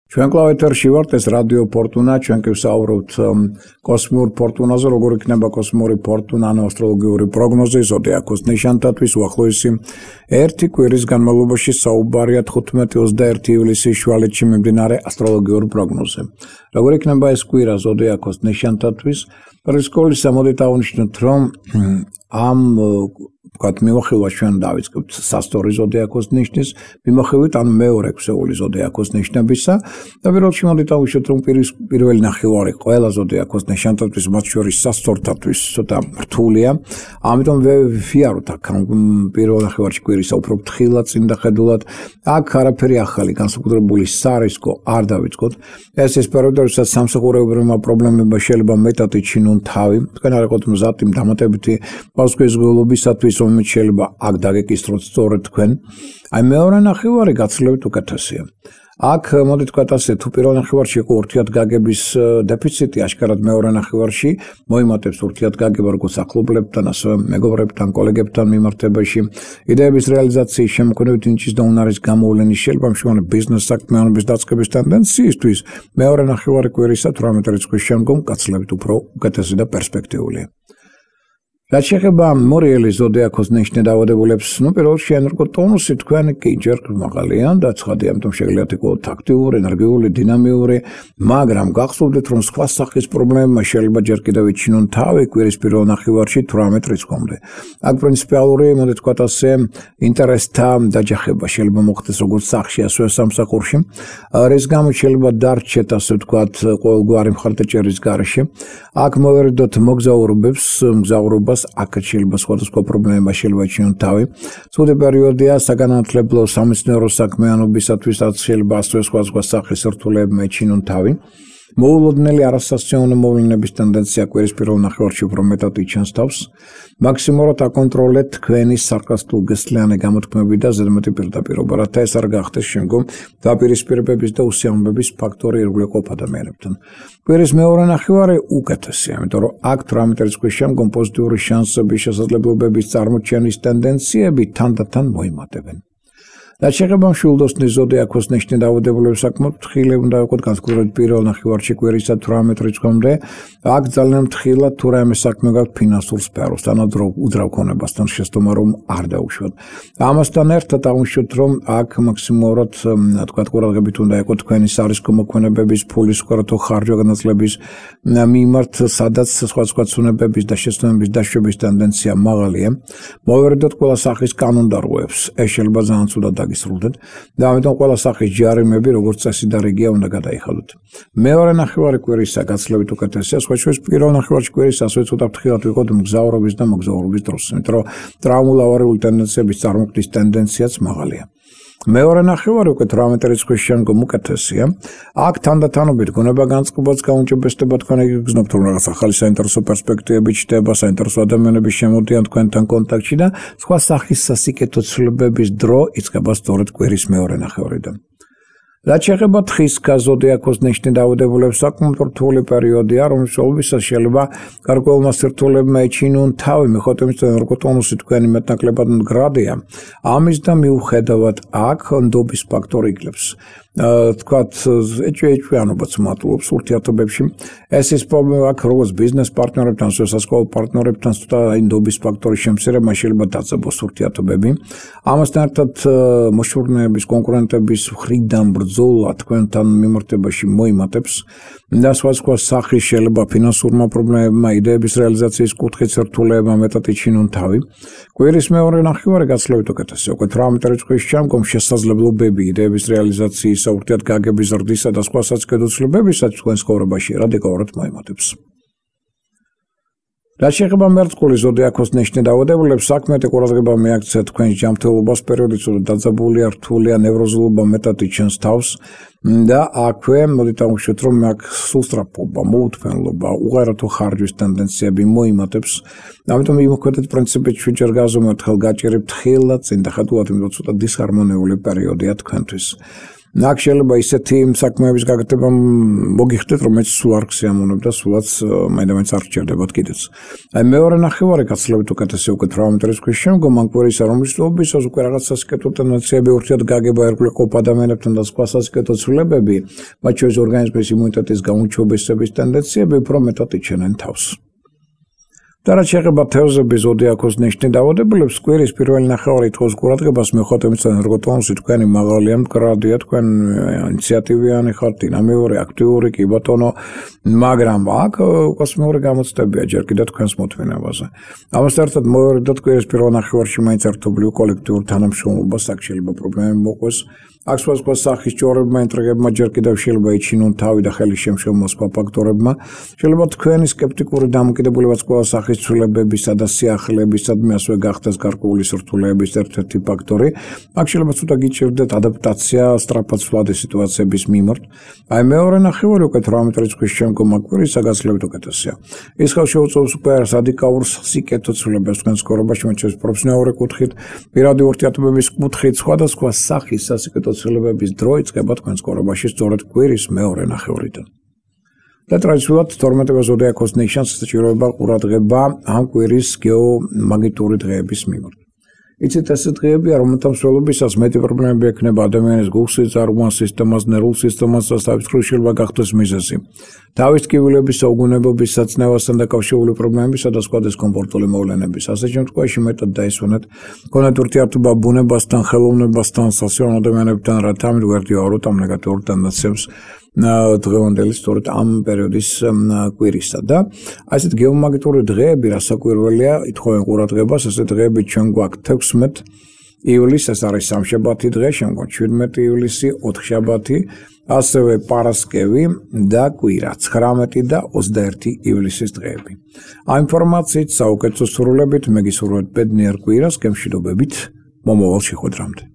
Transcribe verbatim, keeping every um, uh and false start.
ჩვენ კლავ ეთერში ვართ, ეს რადიო ფორტუნა, ჩვენ კი ვსაუბრობთ კოსმიურ ფორტუნაზე, როგორ იქნება კოსმიური ფორტუნა, ანუ ასტროლოგიური პროგნოზი, ზოდიაქოს ნიშანთათვის უახლოესი ერთი კვირის განმავლობაში საუბარია თხუთმეტი ოცდაერთი ივლისის შუალედში მიმდინარე ასტროლოგიურ პროგნოზზე. როგორ იქნება ეს კვირა ზოდიაქოს ნიშანთათვის? რისკოლის ამოდით აღნიშნოთ, რომ ამ ვთქვათ, მიმოხილვა ჩვენ დავიწყებთ სასტორი ზოდიაქოს ნიშნის, მიმოხილვით ან მეორე ქსეული ზოდიაქოს ნიშნებისა და პირველ რიგში მოდით ავუშვათ, რომ პირველი ნახევარი ყველა ზოდიაქოს ნიშანთათვის, მათ შორის სასტორთათვის ცოტა რთულია, ამიტომ ვიფიაროთ აქ პირველ ნახევარში კვირისა უფრო ფრთხილად, წინდახედულად, აქ არაფერი ახალი განსაკუთრებული სარისკო არ დავიწყოთ. ეს ის პერიოდი, როდესაც სამსახურეობრივმა პრობლემებმა შეიძლება მეტად იჩინონ თავი, თქვენ არ იყოთ მზად იმ დამატებითი პასუხისმგებლობისათვის, რომელიც შეიძლება აქ დაგეკისროთ სწორედ თქვენ. აი მეორე ნახევარი გაცილებით უკეთესია. აქ მოდით ვთქვათ ასე, თუ პირველ ნახევარში იყო ურთიერთგაგების დეფიციტი, აშკარად მეორე ნახევარში მოიმატებს ურთიერთგაგება როგორც ახლობლებთან, ასევე მეგობრებთან, კოლეგებთან მიმართებაში. იდეების რეალიზაციის შემქმნელი ნიჭის და უნარის გამოვლენის შეიძლება მშრომელი ბიზნეს საქმიანობის დაწყების ტენდენციისთვის მეორე ნახევარი კვირისა თვრამეტი რიცხვის შემდგომ გაცილებით უფრო უკეთესი და პერსპექტიულია. რაც შეეხება მორიელი ზოდიაქოს ნიშნე დაავადებულებს, ნუ პირველ რიგში ენერგო ტონუსი თქვენ კი ჯერ მაღალია და ცხადია, ამიტომ შეგიძლიათ იყოთ აქტიური, ენერგიული, დინამიური, მაგრამ გახსოვდეთ, რომ სხვა სახის პრობლემებმა შეიძლება ჯერ კიდევ იჩინონ თავი კვირის პირველ ნახევარში თვრამეტ რიცხვამდე. აქ პრინციპალური, მოდით ვთქვათ ასე, ინტერესთა დაჯახება შეიძლება მოხდეს როგორც სახში, ასევე სამსახურში. რის გამო შეიძლება დარჩეთ, ასე ვთქვათ, ყოველგვარი მხარდაჭერის გარეშე. აქ მოვერიდოთ მოგზაურობებს, მგზავრობას აქ შეიძლება სხვადასხვა პრობლემა შეიძლება იჩინონ თავი. ცუდი პერიოდია საგანმანათლებლო სამეცნიერო საქმიანობისათვისაც შეიძლება ასევე სხვადასხვა სახის სირთულეებმა იჩინონ თავი. მოულოდნელი არასასწაუნო მოვლენების ტენდენცია კვირის პირველ ნახევარში უფრო მეტად იჩენს თავს. მაქსიმალურად აკონტროლეთ თქვენი სარკასტულ-გესლიანი გამოთქმები და ზედმეტი პირდაპირობა, რათა ეს არ გახდეს შემდგომ დაპირისპირებების და უსიამოვნების ფაქტორი ირგვლივ ადამიანებთან. კვირის მეორე ნახევარი უკეთესია, იმიტომ რომ აქ თვრამეტი რიცხვის შემდგომ პოზიტიური შანსების, შესაძლებლობების წარმოჩენის ტენდენციები თანდათან მოიმატებენ. რაც შეეხება მშვილდოსნის ზოდიაქოს ნიშნე დაავადებულებს, საკმაოდ ფრთხილი უნდა იყოთ განსაკუთრებით პირველ ნახევარში კვირისა თვრამეტ რიცხვამდე. აქ ძალიან ფრთხილად თუ რაიმე საქმე გაქვთ ფინანსურ სფეროს, თანადროულ უძრავ ქონებასთან შეცდომა რომ არ დაუშვათ. ამასთან ერთად აღნიშნოთ, რომ აქ მაქსიმალურად თქვათ ყურადღებით უნდა იყოთ თქვენი სარისკო მოქმედებების, ფულის უკარათო ხარჯვა განაწილების მიმართ, სადაც სხვადასხვა ცნებების და შეცდომების დაშვების ტენდენცია მაღალია. მოვერიდოთ ყველა სახის კანონდარღვევებს, ეს შეიძლება ძალიან ცუდად გისრულდეთ და ამიტომ ყველა სახის ჯარიმები როგორც წესი და რიგია უნდა გადაიხადოთ. მეორე ნახევარი კვირისა გაცილებით უკეთესია, სხვა შორის პირველ ნახევარში კვირის ასევე ცოტა ფრთხილად ვიყოთ მგზავრობის და მოგზაურობის დროს, იმიტომ რომ ტრავმულ ავარიული ტენდენციების წარმოქმნის ტენდენციაც მაღალია. მეორე ნახევარი უკვე თვრამეტი რიცხვის შემდგომ უკეთესია. აქ თანდათანობით გონება განწყობაც გაუნჭებესდება თქვენ გიგრძნობთ, რომ რაღაც ახალი საინტერესო პერსპექტივები ჩნდება, საინტერესო ადამიანები შემოდიან თქვენთან კონტაქტში და სხვა სახის სასიკეთო ცვლილებების დრო იწყება სწორედ კვირის მეორე ნახევარიდან. რაც შეეხება თხის ზოდიაქოს ნიშნე დაავადებულებს, საკმაოდ რთული პერიოდია, რომლის შედეგად შეიძლება გარკვეულმა სირთულეებმა იჩინონ თავი, მიუხედავად იმისა, რომ ენერგოტონუსი თქვენი მეტნაკლებად მდგრადია. ამის და მიუხედავად აქ ნდობის ფაქტორი იგლებს. თქვათ ეჭვიანობაც მატულობს ურთიერთობებში. ეს ის პრობლემა აქ როგორც ბიზნეს პარტნიორებთან, ასევე სასკოლო პარტნიორებთან ცოტა ნდობის ფაქტორის შემცირება შეიძლება დაწყებოს ურთიერთობები. ამასთან ერთად მოშურნეების, კონკურენტების მხრიდან ბრძოლა თქვენთან მიმართებაში მოიმატებს და სხვადასხვა სახის შეიძლება ფინანსურმა პრობლემებმა, იდეების რეალიზაციის კუთხით სირთულეებმა მეტად იჩინონ თავი. კვირის მეორე ნახევარი გაცილებით უკეთესია. უკვე თვრამეტი რიცხვის შემდგომ შესაძლებლობები იდეების რეალიზაციის, ურთიერთგაგების ზრდისა და სხვა საცდელებებისაც თქვენ ცხოვრებაში რადიკალურად მოიმატებს. რაც შეეხება მერწყული ზოდიაქოს ნიშნე დაავადებულებს, საქმეთა ყურადღება მიაქცეთ თქვენს ჯანმრთელობას, პერიოდი ცუდად დაძაბულია, რთულია, ნევროზულობა მეტად იჩენს თავს და აქვე მოდით ავუშვათ, რომ აქ სულსწრაფობა, მოუთმენლობა, უღერათო ხარჯვის ტენდენციები მოიმატებს. ამიტომ იმოქმედეთ პრინციპით შვიდჯერ გაზომოთ, ხელგაჭერებთ ხილად, წინდახედულად, იმიტომ ცოტა დისჰარმონიული პერიოდია თქვენთვის. აქ შეიძლება ისეთი საქმეების გაკეთება მოგიხდეთ, რომელიც სულ არ გსიამოვნებთ და სულაც მაინც არ გჭირდებათ კიდეც. აი მეორე ნახევარი გაცილებით უკეთესი უკვე თვრამეტ რიცხვის შემდგომ ამ კვირისა რომლის თვეობისას უკვე რაღაც სასიკეთო ტენდენციები ურთიერთ გაგება ერგვლე ყოფ ადამიანებთან და სხვა სასიკეთო ცვლილებები, მათ შორის ორგანიზმის იმუნიტეტის გაუმჯობესების ტენდენციები უფრო მეტად იჩენენ თავს. და რაც შეეხება თევზების ზოდიაქოს ნიშნით დაავადებულებს, კვირის პირველი ნახევარი თხოვს ყურადღებას მიუხედავად იმისა, რომ ტონუსი თქვენი მაღალია, მდგრადია, თქვენ ინიციატივიანი ხართ, დინამიური, აქტიური, კი ბატონო, მაგრამ აქ კოსმიური გამოცდებია ჯერ კიდევ თქვენს მოთმინებაზე. ამასთან ერთად მოვერიდოთ კვირის პირველ ნახევარში მაინც ერთობლივ კოლექტიურ თანამშრომლობას აქ შეიძლება პრობლემები მოყვეს. აქ სხვადასხვა სახის ჭორებმა, ინტრიგებმა ჯერ კიდევ შეიძლება იჩინონ თავი და ხელი შემშემო სხვა ფაქტორებმა. შეიძლება თქვენი სკეპტიკური დამოკიდებულებაც ყველა სახის ცვლილებებისა და სიახლეებისადმი ასევე გახდეს გარკვეული სირთულეების ერთ-ერთი ფაქტორი. აქ შეიძლება ცოტა გიჭირდეთ ადაპტაცია სწრაფად ცვლადი სიტუაციების მიმართ. აი მეორე ნახევარი უკვე თვრამეტ რიცხვის შემდგომ კვირისა გაცილებით უკეთესია. ის ხალხი შეუწევს უკვე რადიკალურ სიკეთო ცვლილებებს თქვენ ცხოვრებაში, მათ შორის პროფესიონალური კუთხით, პირადი ურთიერთობების კუთხით, სხვადასხვა სახის სასიკეთო ცვლილებების დრო იწყება თქვენ ცხოვრებაში სწორედ კვირის მეორე ნახევრიდან. და ტრადიციულად თორმეტე ზოდიაქოს ნიშანს სჭიროება ყურადღება ამ კვირის გეომაგნიტური დღეების მიმართ. იცით ეს დღეებია, რომელთა მსვლელობისას მეტი პრობლემები ექნება ადამიანის გულსის წარღვან სისტემას, ნერვულ სისტემას და საფრთხის შეიძლება გახდეს მიზეზი. თავის ტკივილების, საუგუნებობის, საწნევასთან დაკავშირებული პრობლემებისა და სხვა დისკომფორტული მოვლენების. ასე შემთხვევაში მეტად დაისვენეთ გონეთ ურთიერთობა ბუნებასთან, ხელოვნებასთან, სასიამოვნო ადამიანებთან, რათა ამით გვერდიაუროთ ამ ნეგატიურ ტენდენციებს დღევანდელი სწორედ ამ პერიოდის კვირისა და ასეთ გეომაგნიტური დღეები რასაკვირველია ითხოვენ ყურადღებას, ასეთ დღეები ჩვენ გვაქვს თექვსმეტ ივლისს, ეს არის სამშაბათი დღე, შემდგომ შვიდმეტი ივლისი, ოთხშაბათი, ასევე პარასკევი და კვირა, ცხრამეტი და ოცდაერთი ივლისის დღეები. ამ ინფორმაციით საუკეთესო სრულებით მე გისურვებთ ბედნიერ კვირას, გემშვიდობებით, მომავალ შეხვედრამდე.